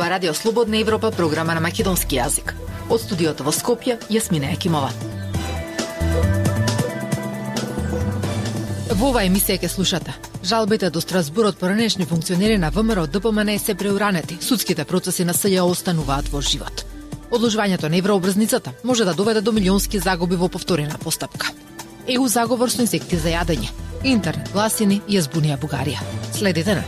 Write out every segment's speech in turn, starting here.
ова Радио Слободна Европа, програма на македонски јазик. Од студиото во Скопје, Јасмина Екимова. Во оваа емисија ќе слушате: жалбите до Страсбурот поранешни функционери на ВМРО ДПМН се преуранети, судските процеси на СЈО остануваат во живот. Одложувањето на еврообразницата може да доведе до милионски загуби во повторена постапка. ЕУ заговор со инсекти за јадење. Интернет гласини ја збунија Бугарија. Следите на.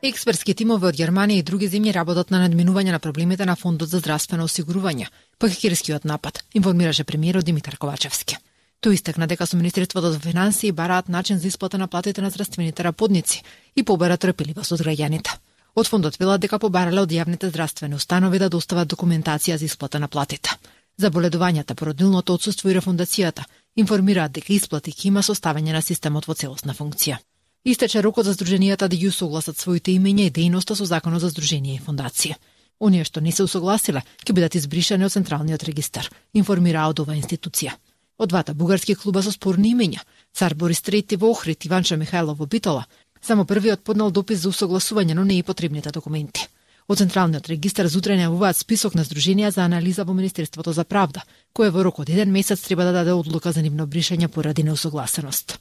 Експертски тимови од Германија и други земји работат на надминување на проблемите на Фондот за здравствено осигурување по хакерскиот напад, информираше премиерот Димитар Ковачевски. Тој истакна дека со Министерството за финансии бараат начин за исплата на платите на здравствените работници и побара трпеливост од граѓаните. Од фондот велат дека побарале од јавните здравствени установи да достават документација за исплата на платите. Заболедувањата, породилното отсуство и рефундацијата информираат дека исплати ќе има составање на системот во целосна функција. Истече рокот за здруженијата да ги усогласат своите имења и дејноста со Законот за здруженија и фондација. Оние што не се усогласиле ќе бидат избришани од Централниот регистар, информира од оваа институција. Од двата бугарски клуба со спорни имења, Цар Борис III во Охрид и Ванча Михајлов во Битола, само првиот поднел допис за усогласување, но не и потребните документи. Од Централниот регистар зутре најавуваат список на здруженија за анализа во Министерството за правда, кое во рок од 1 месец треба да даде одлука за нивно бришање поради неусогласеност.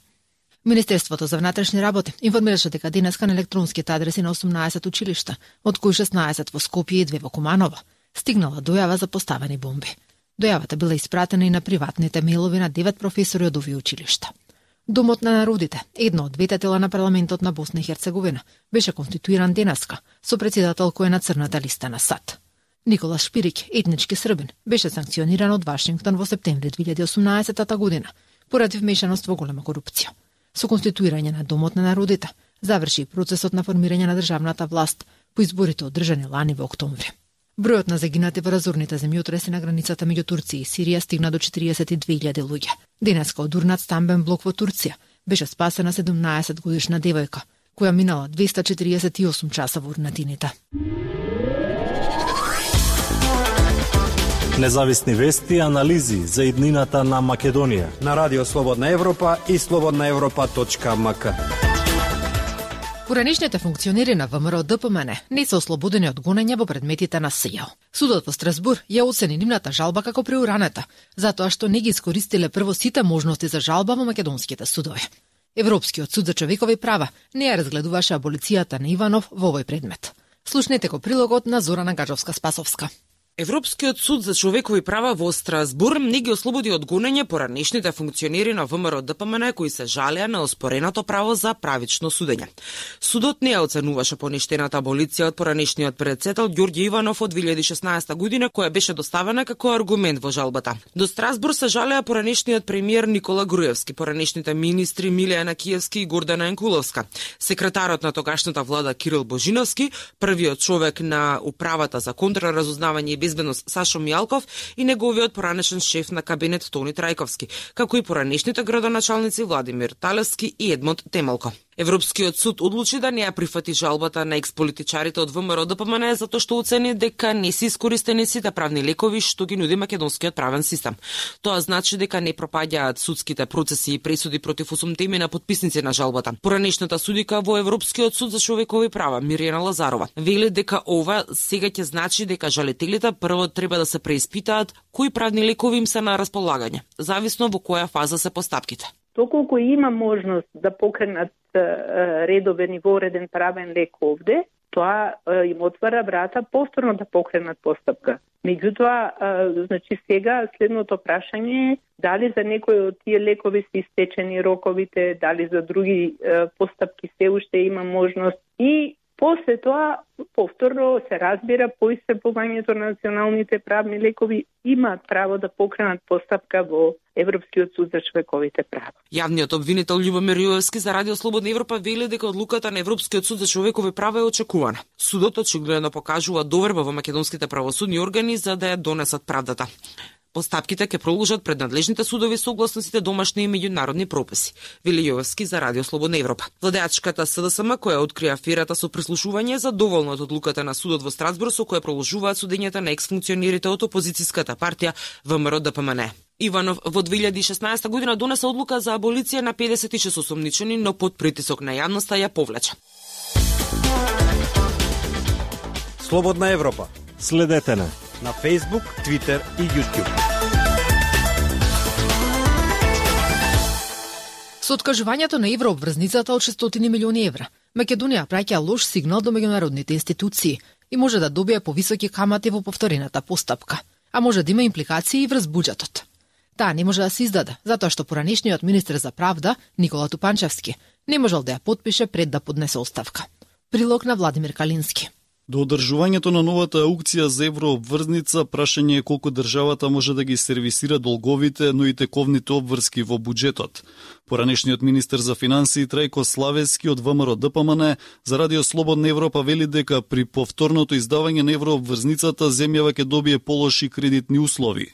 Министерството за внатрешни работи информираше дека денеска на електронските адреси на 18 училишта, од кои 16 во Скопје и 2 во Куманово, стигнала дојава за поставени бомби. Дојавата била испратена и на приватните мејлови на 9 професори од овие училишта. Домот на народите, едно од двете тела на парламентот на Босна и Херцеговина, беше конституиран денеска со председател кој е на црната листа на САД. Никола Шпирик, етнички србин, беше санкциониран од Вашингтон во септември 2018 година поради вмешаност во голема корупција. Со конституирање на Домот на народите заврши процесот на формирање на државната власт по изборите одржани лани во октомври. Бројот на загинати во разорните земјотреси на границата меѓу Турција и Сирија стигна до 42.000 луѓе. Денеска од урнат стамбен блок во Турција беше спасена 17-годишна девојка, која минала 248 часа во урнатините. Независни вести и анализи за иднината на Македонија на Радио Слободна Европа и slobodnaevropa.mk. Поранешните функционери на ВМРО ДПМН не се ослободени од гонење во предметите на СЈО. Судот во Страсбур ја оцени нивната жалба како преуранета, затоа што не ги искористиле прво сите можности за жалба во македонските судови. Европскиот суд за човекови права не ја разгледуваше аболицијата на Иванов во овој предмет. Слушнете го прилогот на Зорана Гаджовска-Спасовска. Европскиот суд за човекови права во Страсбур не ги ослободи од гонење поранешните функционери на ВМРО ДПМН кои се жалеа на оспореното право за правично судење. Судот не ја оценуваше поништената аболиција од поранешниот председател Ѓорѓе Иванов од 2016 година, која беше доставена како аргумент во жалбата. До Страсбур се жалеа поранешниот премиер Никола Груевски, поранешните министри Милија Накиевски и Гордана Енкуловска, секретарот на тогашната влада Кирил Божиновски, првиот човек на управата за контраразузнавање и безбедност Сашо Мијалков и неговиот поранешен шеф на кабинет Тони Трајковски, како и поранешните градоначалници Владимир Талевски и Едмонд Темелко. Европскиот суд одлучи да не ја прифати жалбата на експолитичарите од ВМРО ДПМН затоа што оцени дека не се искористени сите правни лекови што ги нуди македонскиот правен систем. Тоа значи дека не пропаѓаат судските процеси и пресуди против 8 имена подписници на жалбата. Поранешната судика во Европскиот суд за човекови права Мирјана Лазарова вели дека ова сега ќе значи дека жалителите прво треба да се преиспитаат кои правни лекови им се на располагање, зависно во која фаза се постапките. Доколку има можност да покренат редовен и вореден правен лек овде, тоа им отвара врата повторно да покренат постапка. Меѓутоа, значи сега следното прашање е дали за некои од тие лекови се истечени роковите, дали за други постапки се уште има можност и после тоа повторно се разбира по исцрпувањето на националните правни лекови имаат право да покренат постапка во Европскиот суд за човековите права. Јавниот обвинител Љубомир Јовевски за Радио Слободна Европа вели дека одлуката на Европскиот суд за човекови права е очекувана. Судот очигледно покажува доверба во македонските правосудни органи за да ја донесат правдата. Постапките ќе продолжат пред надлежните судови согласно сите домашни и меѓународни прописи, вели Јовевски за Радио Слободна Европа. Владеачката СДСМ која откри аферата со прислушување задоволна од одлуката на судот во Страсбур со која продолжуваат судењата на ексфункционерите од опозицијската партија ВМРО ДПМН. Иванов во 2016 година донесе одлука за аболиција на 56 осомничени, но под притисок на јавноста ја повлече. Слободна Европа. Следете на Facebook, Twitter и YouTube. Со откажувањето на еврообврзницата од 600 милиони евра, Македонија праќа лош сигнал до меѓународните институции и може да добие повисоки камати во повторената постапка, а може да има импликации и врз буџетот. Таа не може да се издаде, затоа што поранешниот министер за правда, Никола Тупанчевски, не можел да ја подпише пред да поднесе оставка. Прилог на Владимир Калински. До одржувањето на новата аукција за еврообврзница, прашање е колку државата може да ги сервисира долговите, но и тековните обврски во буџетот. Поранешниот министер за финансии Трајко Славески од ВМРО ДПМН за Радио Слободна Европа вели дека при повторното издавање на еврообврзницата земјава ќе добие полоши кредитни услови.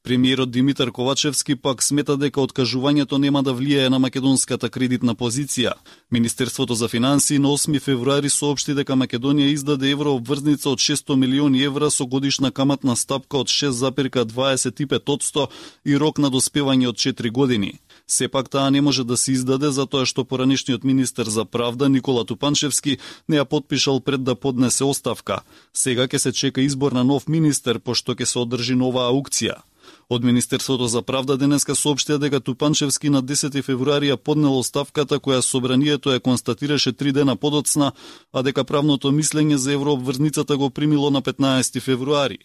Премиерот Димитар Ковачевски пак смета дека откажувањето нема да влијае на македонската кредитна позиција. Министерството за финансии на 8 февруари соопшти дека Македонија издаде еврообврзница од 600 милиони евра со годишна каматна стапка од 6,25% и рок на доспевање од 4 години. Сепак таа не може да се издаде затоа што поранешниот министер за правда Никола Тупанчевски не ја подпишал пред да поднесе оставка. Сега ќе се чека избор на нов министер пошто ќе се одржи нова аукција. Од Министерството за правда денеска соопштија дека Тупанчевски на 10 февруари ја поднел оставката која собранието ја констатираше 3 дена подоцна, а дека правното мислење за еврообврзницата го примило на 15 февруари.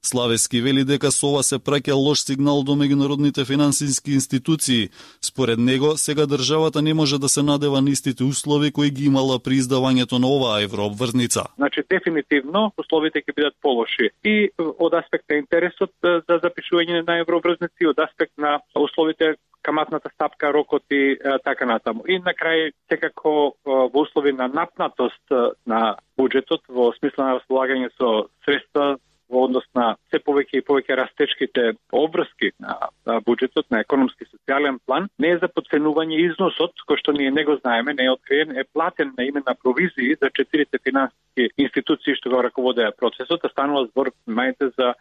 Славески вели дека со ова се праќа лош сигнал до меѓународните финансиски институции. Според него, сега државата не може да се надева на истите услови кои ги имала при издавањето на оваа еврообврзница. Значи, дефинитивно, условите ќе бидат полоши. И од аспект на интересот за запишување на еврообврзници, од аспект на условите, каматната стапка, рокот и така натаму. И на крај, секако во услови на напнатост на буџетот, во смисла на располагање со средства во однос на се повеќе и повеќе растечките обврски на буџетот, на економски и социјален план, не е за подценување износот, кој што ние не го знаеме, не е откриен, е платен на име на провизии за 4 финансиски институции што го раководеа процесот, а станува збор, мајте, за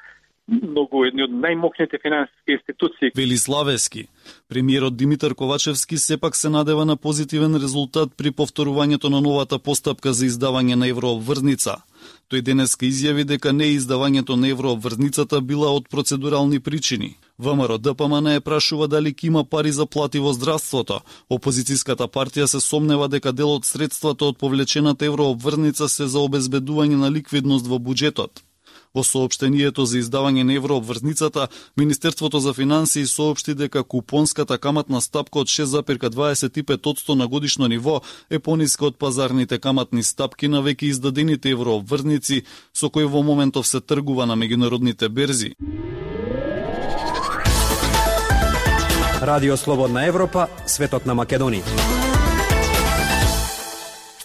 многу едни од најмокните финансиски институции. Вели Славески. Премиерот Димитар Ковачевски сепак се надева на позитивен резултат при повторувањето на новата постапка за издавање на еврообврзница. Тој денеска изјави дека не издавањето на еврообврзницата била од процедурални причини. ВМРО ДПМН е прашува дали ќе има пари за плати во здравството. Опозицијската партија се сомнева дека дел од средствата од повлечената еврообврзница се за обезбедување на ликвидност во буџетот. Во соопштението за издавање на еврообврзницата, Министерството за финансии соопшти дека купонската каматна стапка од 6,25% на годишно ниво е пониска од пазарните каматни стапки на веќе издадените еврообврзници со кои во моментов се тргува на меѓународните берзи. Радио Слободна Европа, светот на Македонија.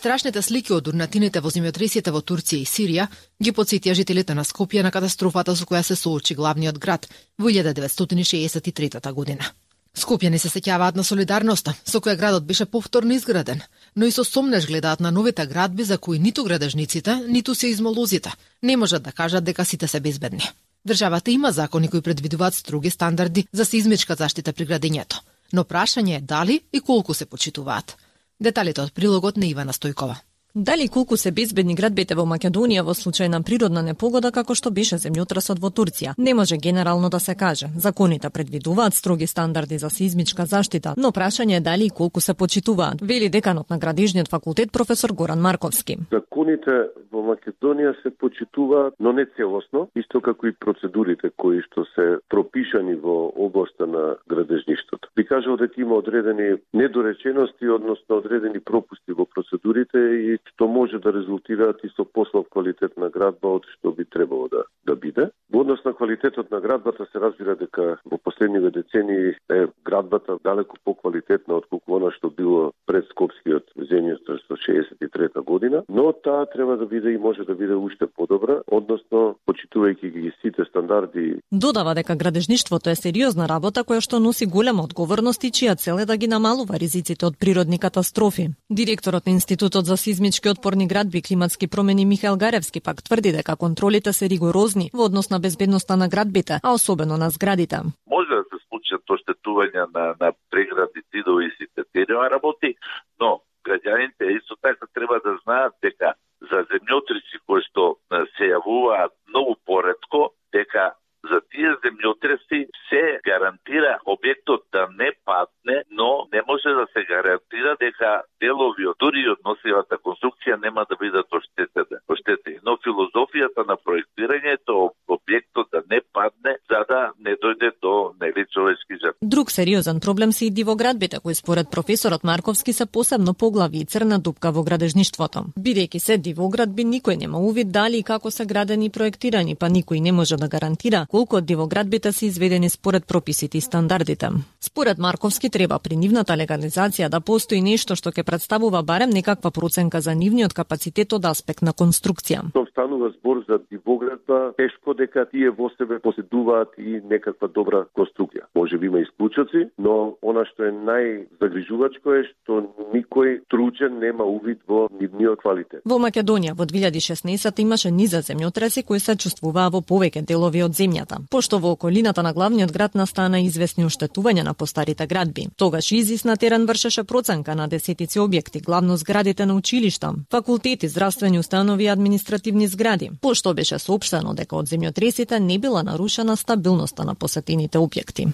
Страшните слики од урнатините во земјотресите во Турција и Сирија ги потсетија жителите на Скопје на катастрофата со која се соочи главниот град во 1963 година. Скопјани се сеќаваат на солидарноста со која градот беше повторно изграден, но и со сомнеж гледаат на новите градби за кои ниту градежниците, ниту сеизмолозите не можат да кажат дека сите се безбедни. Државата има закони кои предвидуваат строги стандарди за сеизмичка заштита при градењето, но прашање е дали и колку се почитуваат. Деталите од прилогот на Ивана Стојкова. Дали колку се безбедни градбите во Македонија во случај на природна непогода како што беше земјотресот во Турција? Не може генерално да се каже. Законите предвидуваат строги стандарди за сеизмичка заштита, но прашање е дали и колку се почитуваат, вели деканот на Градежниот факултет професор Горан Марковски. Законите во Македонија се почитуваат, но не целосно, исто како и процедурите кои што се пропишани во областа на градежништвото. Би кажал дека има одредени недоречености, односно одредени пропусти во процедурите и што може да резултираат и со послаб квалитет на градба од што би требало да биде. Во однос на квалитетот на градбата се разбира дека во последниве децении е градбата далеку поквалитетна отколку она што било пред Скопскиот земјотрес во 63 година, но таа треба да биде и може да биде уште подобра, односно почитувајќи ги сите стандарди. Додава дека градежништвото е сериозна работа која што носи голема одговорност и чија цел е да ги намалува ризиците од природни катастрофи. Директорот на Институтот за сизмички отпорни градби и климатски промени Михаил Гаревски пак тврди дека контролите се ригорозни во однос на безбедноста на градбите, а особено на зградите. Може да се случат оштетувања на преградни зидови и сите тези работи, но граѓаните исто така треба да знаат дека за земјотреси кои што се се јавуваат многу поретко, дека за тие земјотреси се гарантира објектот да не падне, но не може да се гарантира дека делови од дури од носивата конструкција нема да бидат оштетени. Но филозофијата на проектирањето објектот да не падне, за да не дојде до човечки жртви. Друг сериозен проблем се и дивоградбите, кои според професорот Марковски се посебно поглави и црна дупка во градежништвото. Бидејќи се дивоградби, никој нема увид дали и како се градени и проектирани, па никој не може да гарантира колку од дивоградбите се изведени според прописите и стандардите. Според Марковски треба при нивната легализација да постои нешто што ќе представува барем некаква проценка за нивниот капацитет од аспект на конструкција. Тоа станува збор за дивоградба, тешко дека тие во себе поседуваат и некаква добра конструкција. Може би има исклучоци, но она што е најзагрижувачко е што никој тручен нема увид во нивниот квалитет. Во Македонија во 2016 имаше низа земјотреси кои се чувствуваа во повеќе делови од земјата. Пошто во околината на главниот град настана известни оштетувања на постарите градби. Тогаш ИЗИС на терен вршеше проценка на десетици објекти, главно зградите на училишта, факултети, здравствени установи и административни згради. Пошто беше соопштено дека од земјотресите не била нарушена стабилноста на посетените објекти.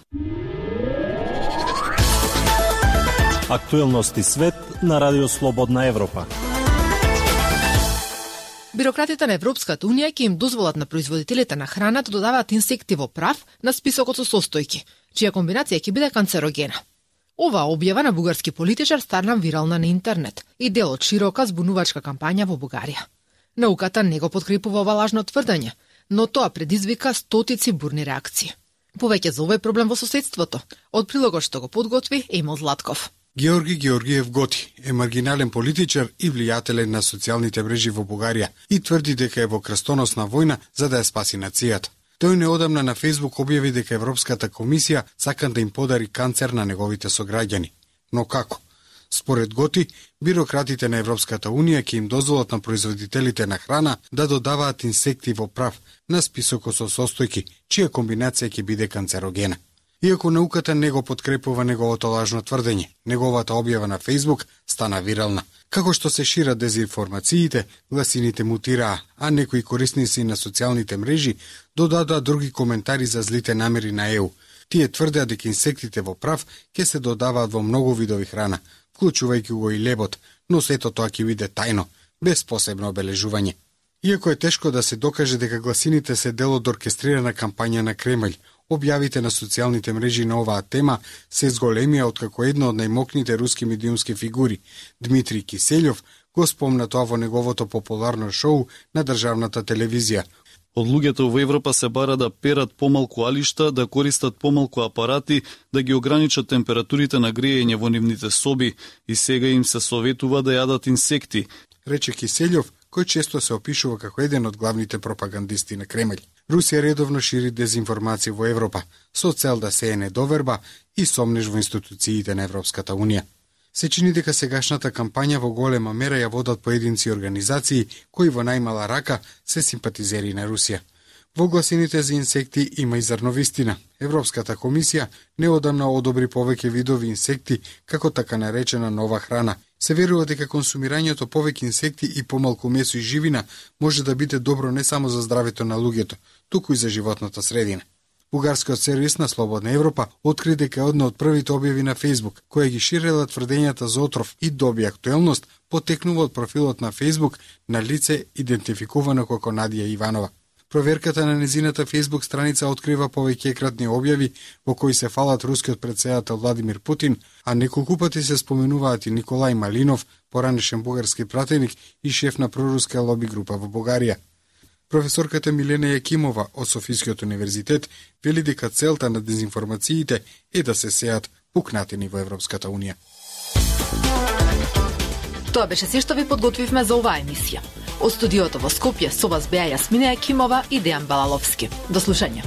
Актуелности свет на Радио Слободна Европа. Бирократите на Европската Унија ќе им дозволат на производителите на храна да додаваат инсекти во прав на списокот со состојки, чија комбинација ќе биде канцерогена. Оваа објава на бугарски политичар стана вирална на интернет и дел од широка збунувачка кампања во Бугарија. Науката не го подкрепува ова лажно тврдење, но тоа предизвика стотици бурни реакции. Повеќе за овој проблем во соседството, од прилогот што го подготви Емил Златков. Георги Георгиев Готи е маргинален политичар и влијателен на социјалните мрежи во Бугарија и тврди дека е во крстоносна војна за да ја спаси нацијата. Тој неодамна на Фејсбук објави дека Европската комисија сака да им подари канцер на неговите сограѓани. Но како? Според Готи, бирократите на Европската Унија ќе им дозволат на производителите на храна да додаваат инсекти во прав на списокот со состојки, чија комбинација ќе биде канцерогена. Иако науката не го подкрепува неговото лажно тврдење, неговата објава на Фејсбук стана вирална. Како што се шират дезинформациите, гласините мутираа, а некои корисници на социјалните мрежи додадоа други коментари за злите намери на ЕУ. Тие тврдеа дека инсектите во прав ќе се додаваат во многу видови храна, вклучувајќи го и лебот, но сето тоа ќе биде тајно, без посебно обележување. Иако е тешко да се докаже дека гласините се дел од оркестрирана кампања на Кремљ, објавите на социјалните мрежи на оваа тема се зголемија откако една од најмокните руски медиумски фигури, Дмитрий Киселјов, го спомна тоа во неговото популарно шоу на државната телевизија. Од луѓето во Европа се бара да перат помалку алишта, да користат помалку апарати, да ги ограничат температурите на грејење во нивните соби и сега им се советува да јадат инсекти, рече Киселјов, кој често се опишува како еден од главните пропагандисти на Кремљ. Русија редовно шири дезинформација во Европа, со цел да сее недоверба и сомнеж во институциите на Европската Унија. Се чини дека сегашната кампања во голема мера ја водат поединци организации кои во најмала рака се симпатизери на Русија. Во гласините за инсекти има и зрно вистина. Европската комисија неодамна одобри повеќе видови инсекти како така наречена нова храна. Се верува дека консумирањето повеќе инсекти и помалку месо и живина може да биде добро не само за здравето на луѓето, туку и за животната средина. Бугарскиот сервис на Слободна Европа откри дека една од првите објави на Фејсбук, која ги ширела тврдењата за отров и доби актуелност, потекнува од профилот на Фејсбук на лице идентификувано како Надија Иванова. Проверката на незината Фејсбук страница открива повеќекратни објави во кои се фалат рускиот претседател Владимир Путин, а неколку пати се споменуваат и Николај Малинов, поранешен бугарски пратеник и шеф на проруска лоби група во Бугарија. Професорката Милена Јакимова од Софискиот универзитет вели дека целта на дезинформациите е да се сеат пукнатини во Европската Унија. Тоа беше се што ви подготвивме за оваа емисија. Од студиото во Скопје со вас беа Јасмина Јакимова и Дејан Балаловски. До слушање.